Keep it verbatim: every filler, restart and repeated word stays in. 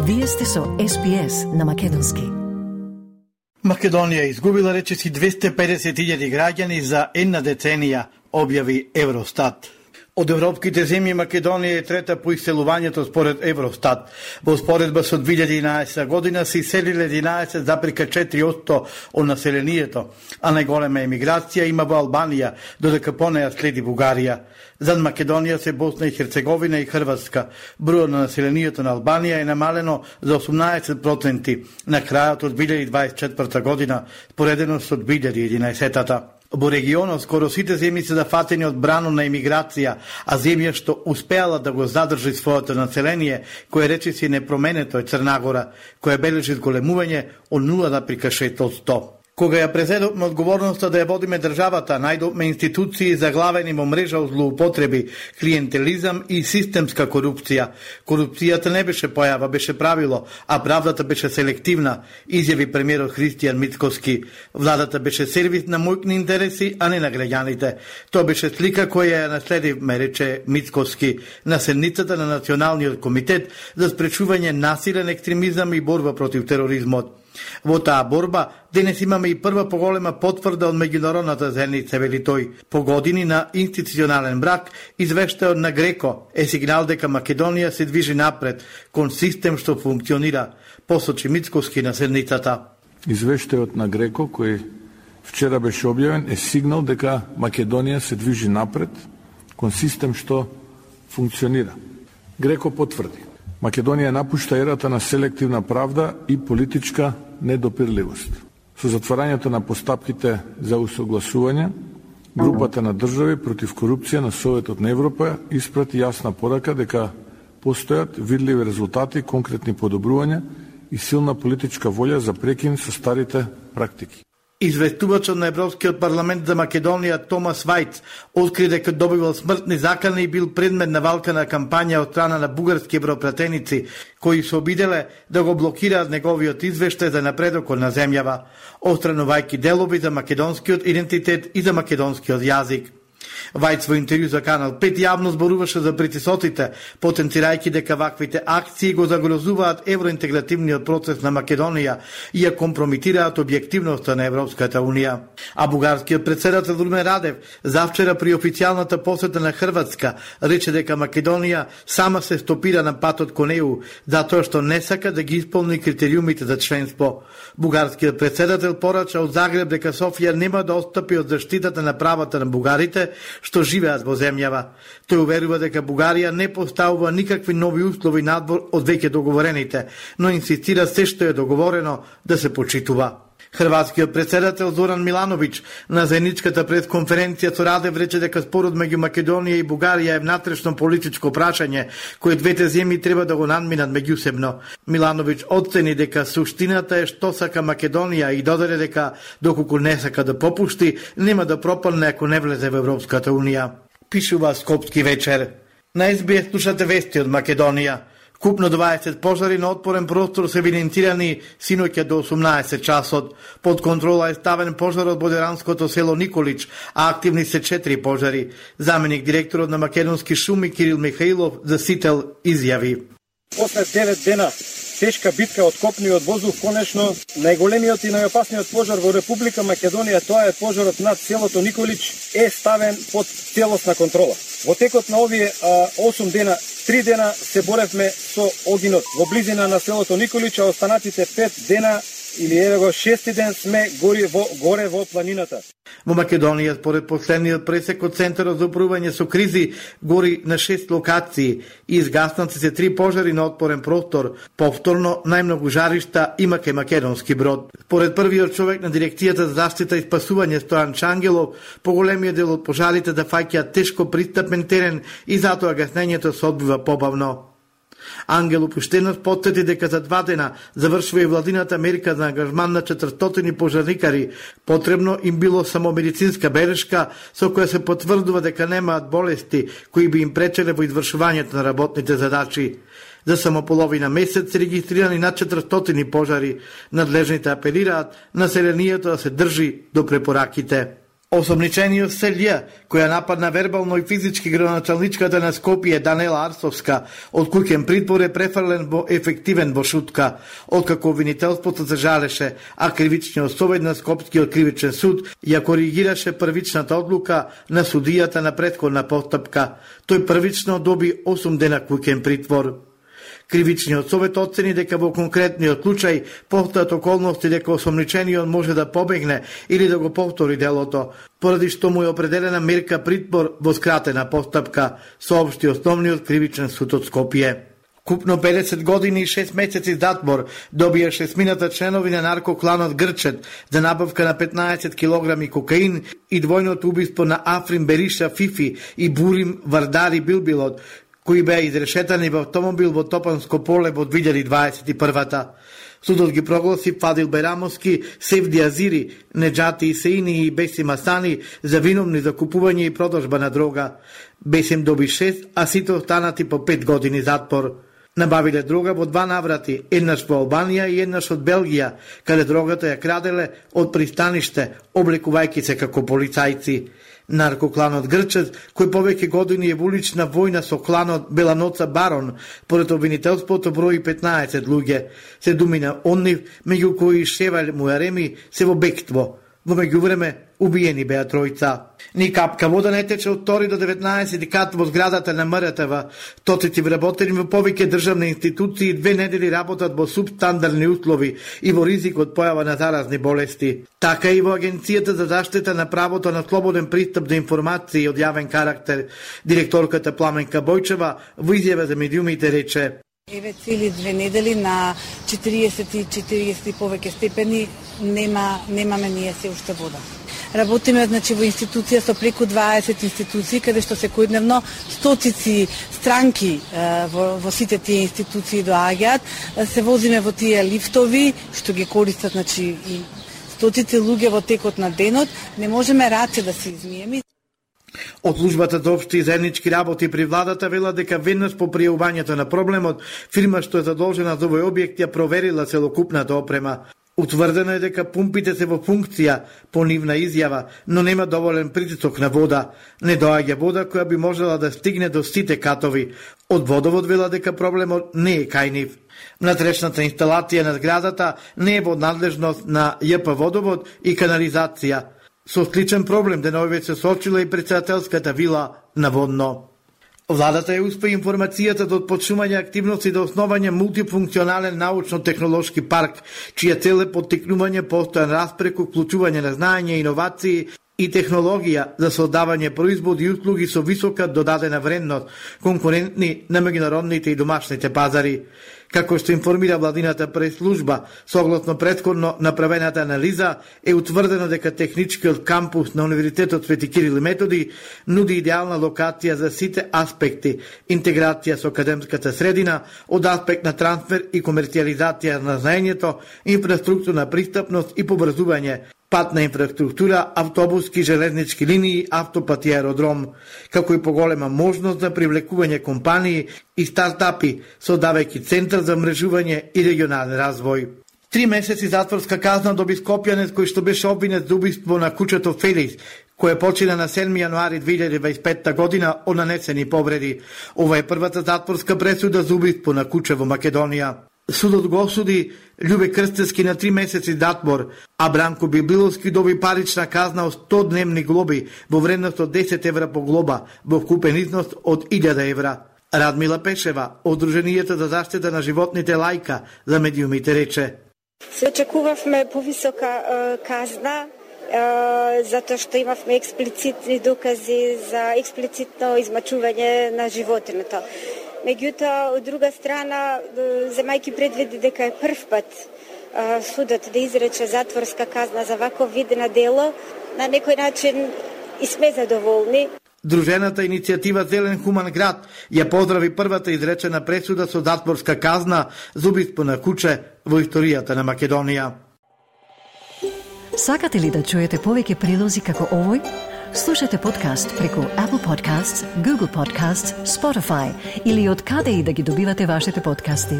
Вие сте со Ес Би Ес на македонски. Македонија изгубила речиси двесте и педесет илјади граѓани за една деценија, објави Евростат. Од европските земји Македонија е трета по иселувањето според Евростат. Во споредба со две илјади и единаесета година се иселиле единаесет зарез четири одсто од населението, а најголема емиграција има во Албанија, додека по неја следи Бугарија. Зад Македонија се Босна и Херцеговина и Хрватска. Бројот на населението на Албанија е намалено за осумнаесет проценти на крајот од две илјади дваесет и четврта година, споредено со две илјади и единаесета. Во регионот скоро сите земји се зафатени од брано на емиграција, а земја што успеала да го задржи своето население, кое речиси непроменето е Црна Гора, која бележи зголемување од нула зарез шест одсто. Кога ја презедовме одговорноста да ја водиме државата, најдовме институции заглавени во мрежа од злоупотреби, клиентелизам и системска корупција. Корупцијата не беше појава, беше правило, а правдата беше селективна, изјави премиерот Христијан Мицкоски. Владата беше сервис на мојкни интереси, а не на граѓаните. Тоа беше слика која ја наследивме, рече Мицкоски, на седницата на Националниот комитет за спречување насилен екстремизам и борба против тероризмот. Во таа борба денес имаме и прва поголема потврда од меѓународната заедница, вели тој. По години на институционален брак, извештајот на Греко е сигнал дека Македонија се движи напред кон систем што функционира, посочи Мицкоски на седницата. Извештајот на Греко кој вчера беше објавен е сигнал дека Македонија се движи напред кон систем што функционира. Греко потврди: Македонија напушта ерата на селективна правда и политичка недопирливост. Со затварањето на постапките за усогласување, групата на држави против корупција на Советот на Европа испрати јасна порака дека постојат видливи резултати, конкретни подобрувања и силна политичка волја за прекин со старите практики. Известувачот на Европскиот парламент за Македонија Томас Вајц откри дека добивал смртни закани и бил предмет на валкана кампања од страна на бугарски европратеници, кои се обиделе да го блокираат неговиот извештај за напредокот на земјава, отстранувајќи делови за македонскиот идентитет и за македонскиот јазик. Вајц во интервју за Канал пет јавно зборуваше за притисоците, потенцирајќи дека ваквите акции го загрозуваат евроинтегративниот процес на Македонија и ја компромитираат објективноста на Европската Унија. А бугарскиот претседател Румен Радев завчера при официјалната посета на Хрватска рече дека Македонија сама се стопира на патот кон Е У, затоа што не сака да ги исполни критериумите за членство. Бугарскиот претседател порача од Загреб дека Софија нема да отстапи од заштитата на правата на бугарите што живеат во земјава. Тој уверува дека Бугарија не поставува никакви нови услови надвор од веќе договорените, но инсистира се што е договорено да се почитува. Хрватскиот претседател Зоран Милановиќ на заедничката пресконференција со Радев рече дека спорот меѓу Македонија и Бугарија е внатрешно политичко прашање кој двете земји треба да го надминат меѓусебно. Милановиќ оцени дека суштината е што сака Македонија и додаде дека доколку не сака да попушти, нема да пропадне ако не влезе во Европската Унија. Пишува Скопски вечер. На Ес Би Ес слушате вести од Македонија. Купно дваесет пожари на отпорен простор се евидентирани синоќа до осумнаесет часот. Под контрола е ставен пожарот во деранското село Николич, а активни се четири пожари. Заменик директорот на Македонски шуми Кирил Михаилов за Сител изјави: После девет дена тешка битка од копни и од воздух, конечно најголемиот и најопасниот пожар во Република Македонија, тоа е пожарот над селото Николич, е ставен под целосна контрола. Во текот на овие осум дена, три дена се боревме со огинот во близина на селото Николич, а останатите пет дена или еве го шести ден сме гори во, горе во планината. Во Македонија, според последниот пресек од Центарот за управување со кризи, гори на шест локации и изгаснати се три пожари на отпорен простор. Повторно, најмногу жаришта има кај Македонски Брод. Според првиот човек на дирекцијата за заштита и спасување Стојан Чангелов, поголемиот дел од пожарите да фаќаат тешко пристапен терен и затоа гаснењето се одбива побавно. Ангел Опуштенов потсети дека за два дена завршува и владината мерка за ангажман на четиристотини пожарникари. Потребно им било само медицинска белешка со која се потврдува дека немаат болести кои би им пречеле во извршувањето на работните задачи. За само половина месец се регистрирани над четиристотини пожари. Надлежните апелираат населението да се држи до препораките. Осомничениот Селија, која нападна вербално и физички градоначалничката на Скопје Данела Арсовска, од куќен притвор е префрлен во ефективен во шутка, откако обвинителството се жалеше, а кривичниот совет на Скопскиот кривичен суд ја коригираше првичната одлука на судијата на претходна постапка. Тој првично доби осум дена куќен притвор. Кривичниот совет оцени дека во конкретниот случај постојат околности дека осомничениот може да побегне или да го повтори делото, поради што му е определена мерка притвор во скратена постапка, соопшти основниот кривичен суд од Скопје. Купно педесет години и шест месеци затвор добија шестмината членови на наркокланот Грчет за набавка на петнаесет килограми кокаин и двојното убиство на Африн Бериша Фифи и Бурим Вардари Билбилот, кои беа изрешетани во автомобил во Топанско поле во две илјади дваесет и прва. Судот ги прогласи Фадил Берамовски, Севди Азири, Неджати Исеини и Бесим Асани за виновни за купување и продажба на дрога. Бесим доби шест, а сите останати по пет години затвор. Набавиле дрога во два наврати, еднаш во Албанија и еднаш од Белгија, каде дрогата ја краделе од пристаниште, облекувајќи се како полицајци. Наркокланот Грчет, кој повеќе години е во улична војна со кланот Беланоца Барон, поред обвинителството брои петнаесет луѓе. Се думи на оннив, меѓу кои Шевал Муареми се во бегство. Во меѓувреме, убиени беа тројца. Ни капка вода не тече од втори до деветнаесети кат во зградата на М Р Т В. Тоците вработени во повеќе државни институции две недели работат во субстандардни услови и во ризик од појава на заразни болести. Така и во Агенцијата за заштита на правото на слободен пристап до информации од јавен карактер. Директорката Пламенка Бојчева во изјава за медиумите рече: Еве цели две недели на четириесет и четириесет и повеќе степени нема немаме ние се уште вода. Работиме значи во институција со преку дваесет институции, каде што секојдневно стотици странки во, во сите тие институции доаѓаат. Се возиме во тие лифтови што ги користат значи и стотици луѓе во текот на денот. Не можеме раце да се измиеме. Од службата за општи и заеднички работи при владата вела дека веднаш по пријавувањето на проблемот, фирма што е задолжена за овој објект ја проверила целокупната опрема. Утврдено е дека пумпите се во функција по нивна изјава, но нема доволен притисок на вода. Не доаѓа вода која би можела да стигне до сите катови. Од водовод вела дека проблемот не е кај нив. Внатрешната инсталација на зградата не е во надлежност на Ј П Водовод и канализација. Со сличен проблем деновиве се соочила и председателската вила наводно. Владата ја успе информацијата до отпочнување активности до основање мултифункционален научно-технолошки парк, чија цел е поттикнување постојан распреку, вклучување на знаење, иновации и технологија за создавање производи и услуги со висока додадена вредност, конкурентни на меѓународните и домашните пазари. Како што информира владината прес-служба, согласно претходно направената анализа, е утврдено дека техничкиот кампус на Универзитетот Свети Кирил и Методи нуди идеална локација за сите аспекти: интеграција со академската средина, од аспект на трансфер и комерцијализација на знаењето, инфраструктурна пристапност и побрзување, патна инфраструктура, автобуски, железнички линии, автопат и аеродром, како и поголема можност за привлекување компании и стартапи, создавајќи центар за мрежување и регионален развој. Три месеци затворска казна доби скопјанец кој што беше обвинет за убиство на кучето Феликс, кој почина на седми јануари две илјади дваесет и петта година од нанесени повреди. Ова е првата затворска пресуда за убиство на куче во Македонија. Судот го осуди Љубе Крстевски на три месеци затвор, а Бранко Билбиловски доби парична казна од сто дневни глоби во вредност од десет евра по глоба, во вкупен износ од илјада евра. Радмила Пешева, Одруженијето за заштита на животните Лајка, за медиумите рече: Се очекувавме повисока е, казна, е, затоа што имавме експлицитни докази за експлицитно измачување на животиното. Меѓутоа, од друга страна, земајќи предвиди дека е прв пат е, судот да изрече затворска казна за ваков вид на дело, на некој начин и сме задоволни. Дружената иницијатива Зелен хуман град ја поздрави првата изречена пресуда со затворска казна за убиство на куче во историјата на Македонија. Сакате ли да чуете повеќе прилози како овој? Слушате подкаст преку Apple Podcasts, Google Podcasts, Spotify или од каде и да ги добивате вашите подкасти.